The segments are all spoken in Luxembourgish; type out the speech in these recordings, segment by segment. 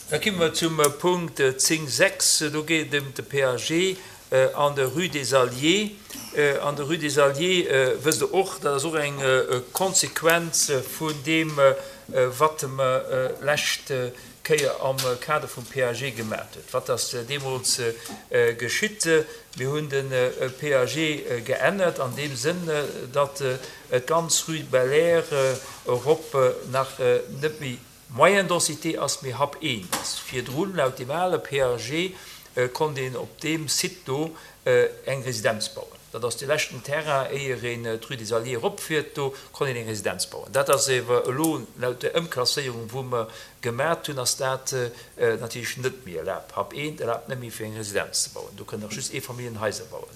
Da komme mer zum Punkt 10, 6. Do geet et ëm de PAG an der Rue des Alliés. An der Rue des Alliés, wësst Der och, dat ass och eng Konsequenz vun deem, wat mer d'lescht Kéier am Kader vum PAG gemat huet. Wat ass deemools geschitt? Mir hunn de PAG geännert an deem Sënn, datt d'ganz Rue Belair erop nach net méi Moyenne densité ass, mee Hub 1 ass. Virdrun, laut deem ale PAG, konnt een op deem Site do eng Residenz bauen. Dat ass dee leschten Terrain, éier een d'Rue des Alliés eropfiert, do konnt een eng Residenz bauen. Dat ass ewer elo, laut der Ëmklasséierung, wou mer gemat hunn, ass dat natierlech net méi erlaabt. Hub 1 erlaabt net méi, fir eng Residenz ze bauen. Do kënnen nach just Eefamilljenhaiser bauen.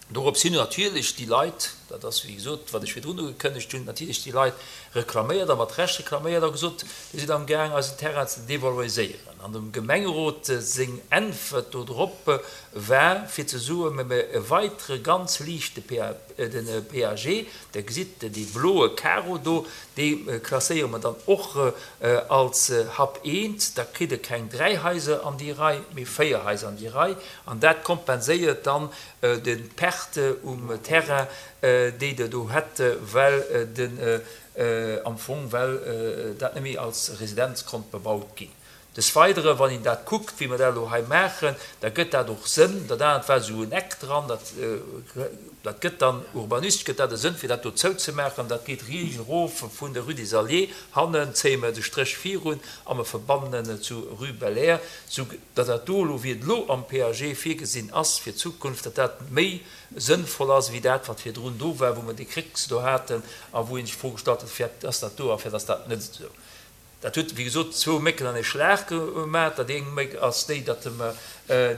Dorops hin hunn natierlech déi Leit, dat ass wéi gesot, wat ech virdrun ugekënnegt hunn, natierlech déi Leit reklaméiert a mat Recht reklaméiert a gesot, Dir sidd amgaang eisen Terrain ze devaloriséieren. An dem Gemengerot seng Äntwert dodrop war fir ze soen, Mä mir erweitere ganz liicht de PAG, Der gesitt dee bloe Karo do, dee klasséiere mer dann och als Hub eent, da kritt e keng 3 Haiser an déi Rei, mee 4 Haiser an déi Rei an dat kompenséiert dann d'Perte um Terrain, déi Der do hätt, well den am Fong well dat net méi als Residenz konnt bebaut ginn. Des Weidere, wann een dat kuckt, wéi mer dat elo hei maachen, da gëtt dat och Sënn. Dat anert war esou en Eck dran, dat, dat gëtt dann urbanistesch gëtt dat e Sënn, fir dat do zouzemaachen. Dat geet riicht erof vun der Rue des Alliés. Hannen zéie mer de Stréch virun a mer verbannen et zu Rue Belair, sou datt dat do elo, wéi et elo am PAG virgesinn ass fir d'Zukunft, datt dat méi sënnvoll ass wéi dat, wat virdrun do war, wou mer déi Krécks do haten a wou ee sech d'Fro gestallt huet, Firwat ass dat do a firwat ass dat net esou? Dat huet, wéi gesot, zwou Mécken an ee Schlag gemaach. Dat eng Méck ass déi, datt mer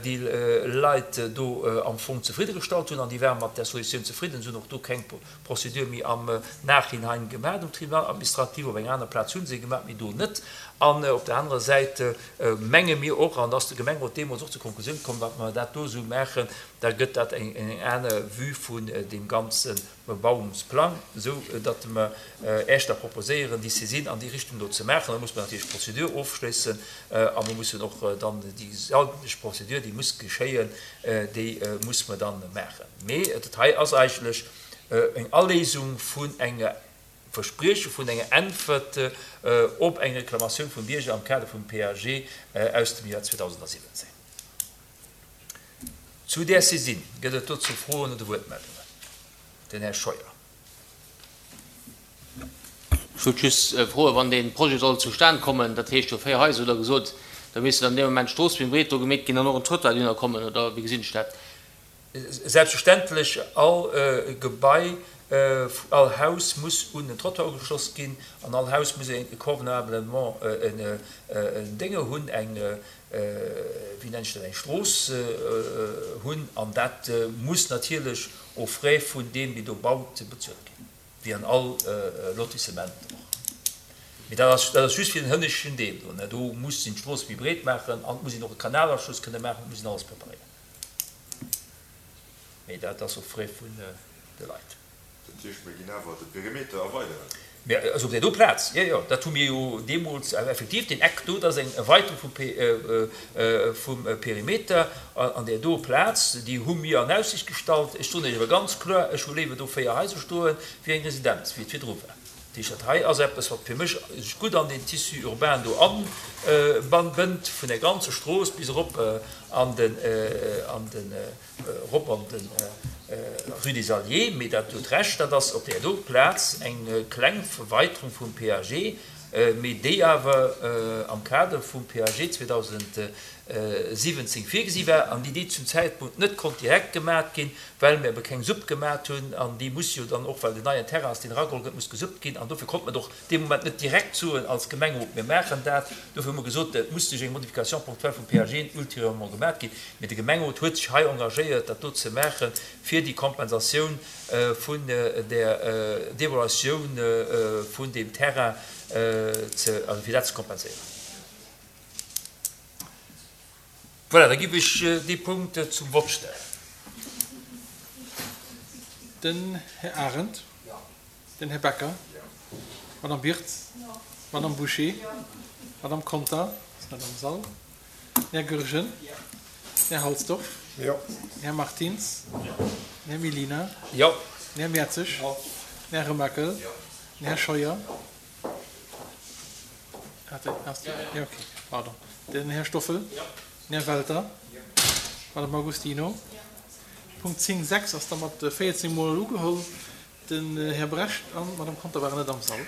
déi Leit do am Fong zefridde gestallt hunn an déi ware mat där Solutioun zefridden. Se hunn och do keng Procédure méi am Nachhinein gemaach um Tribunal administratif. Op enger aner Plaz hu se gemaach, mee do net. An op der anerer Säit menge mir och, an da ass de Gemengerot deemools och zur Konklusioun komm, wa mer dat do esou maachen, da gëtt dat eng aner Vue vun deem ganzen Bebauungsplang, esou datt mer Äech da proposéieren, déi Saisine an déi Richtung do ze maachen. Da muss mer natierlech d'Prozedur ofschléissen a mer mussen och dann déi eigentlech Prozedur, déi muss geschéien, déi muss mer dann maachen. Mee dat hei ass eigentlech eng Aléisung vun enger Versprieche vun enger Äntwert op eng Reklamatioun vum Bierger am Kader vum PAG aus dem Joer 2017. Zu där Saisine, gëtt et dozou Froen oder Wuertmeldungen? Den Här Scheuer. Ech wollt just froen, wann dee Projet soll zustan kommen, dat heescht jo 4 Haiser hutt Der gesot, da misste dann dee Moment d'Strooss méi breet do gemeet ginn an och en Trottoir dohinner kommen, oder wéi gesinn ech dat? Selbstverständlech, all Gebai, all Haus muss un en Trottoir ugeschloss ginn an all Haus muss e convenablement en Dénge hunn, eng wéi nennen ech dat, eng Strooss hunn, an dat muss natierlech aux frais vun deem, dee do baut, bezuelt ginn, wéi an all Lotissement och. Mee dat ass, dat ass just fir den hënneschten Deel do. Do muss een d'Strooss méi breet maachen an et muss een och e Kanalaschluss kënne maachen, et muss een alles preparéieren. Mee dat ass aux frais vun de Leit. Dat heescht, mir ginn awer de Perimeter erweideren? Mä also op där do Plaz, jo, jo, dat hu mir jo deemools effektiv, deen Eck do, dat ass eng Erweiterung vum vum Perimeter an där do Plaz, déi hu mir an Aussicht gestallt. Ech soen Iech awer ganz kloer, ech hu léiwer do 4 Haiser stoe wéi eng Residenz, wéi et virdru war. Dat heescht, dat hei ass eppes, wat fir mech sech gutt an deen Tissu urbain do abënnt, vun der ganzer Strooss bis erop an den, an den, Erop an de Rue des Alliés, mee dat huet Recht, dat ass op där do Plaz eng kleng Verweiterung vum PAG, mee déi awer am Kader vum PAG 2017 virgesi war an déi déi zum Zäitpunkt net konnt direkt gemat ginn, well mir ebe keng Supp gemat hunn an déi muss jo dann och, well den neien Terrain ass, deen erageholl gëtt, muss gesuppt ginn an dofir konnt mer et och dee Moment net direkt soen als Gemengerot, mir maachen dat. Dofir hu mer gesot, et muss duerch eng Modification ponctuelle vum PAG ultérieurement gemaat ginn. Mee de Gemengerot huet sech hei engagéiert, dat do ze maachen, fir déi Kompensatioun vun där Devaluatioun vun deem Terrain ze, also fir dat ze kompenséieren. Voilà, da giff ech dee Punkt zum Vott stellen. Den Här Arendt. Den Här Becker. Madame Birtz. Madame Bouché. Madame Conter. net am Sall. Den Här Goergen. Den Här Halsdorf. Jo. Den Här Martins. Den Här Mellina. Jo. Den Här Mertzig. Jo. Den Här Remakel. Jo. Den Här Scheuer. Jo, okay, pardon. Den Här Stoffel. Jo. Den Här Welter. Jo. D'Madame Agostino. Punkt 10, 6 ass da mat 14 Mol ugeholl. Den Här Brecht an d'Madame Conter waren net am Sall.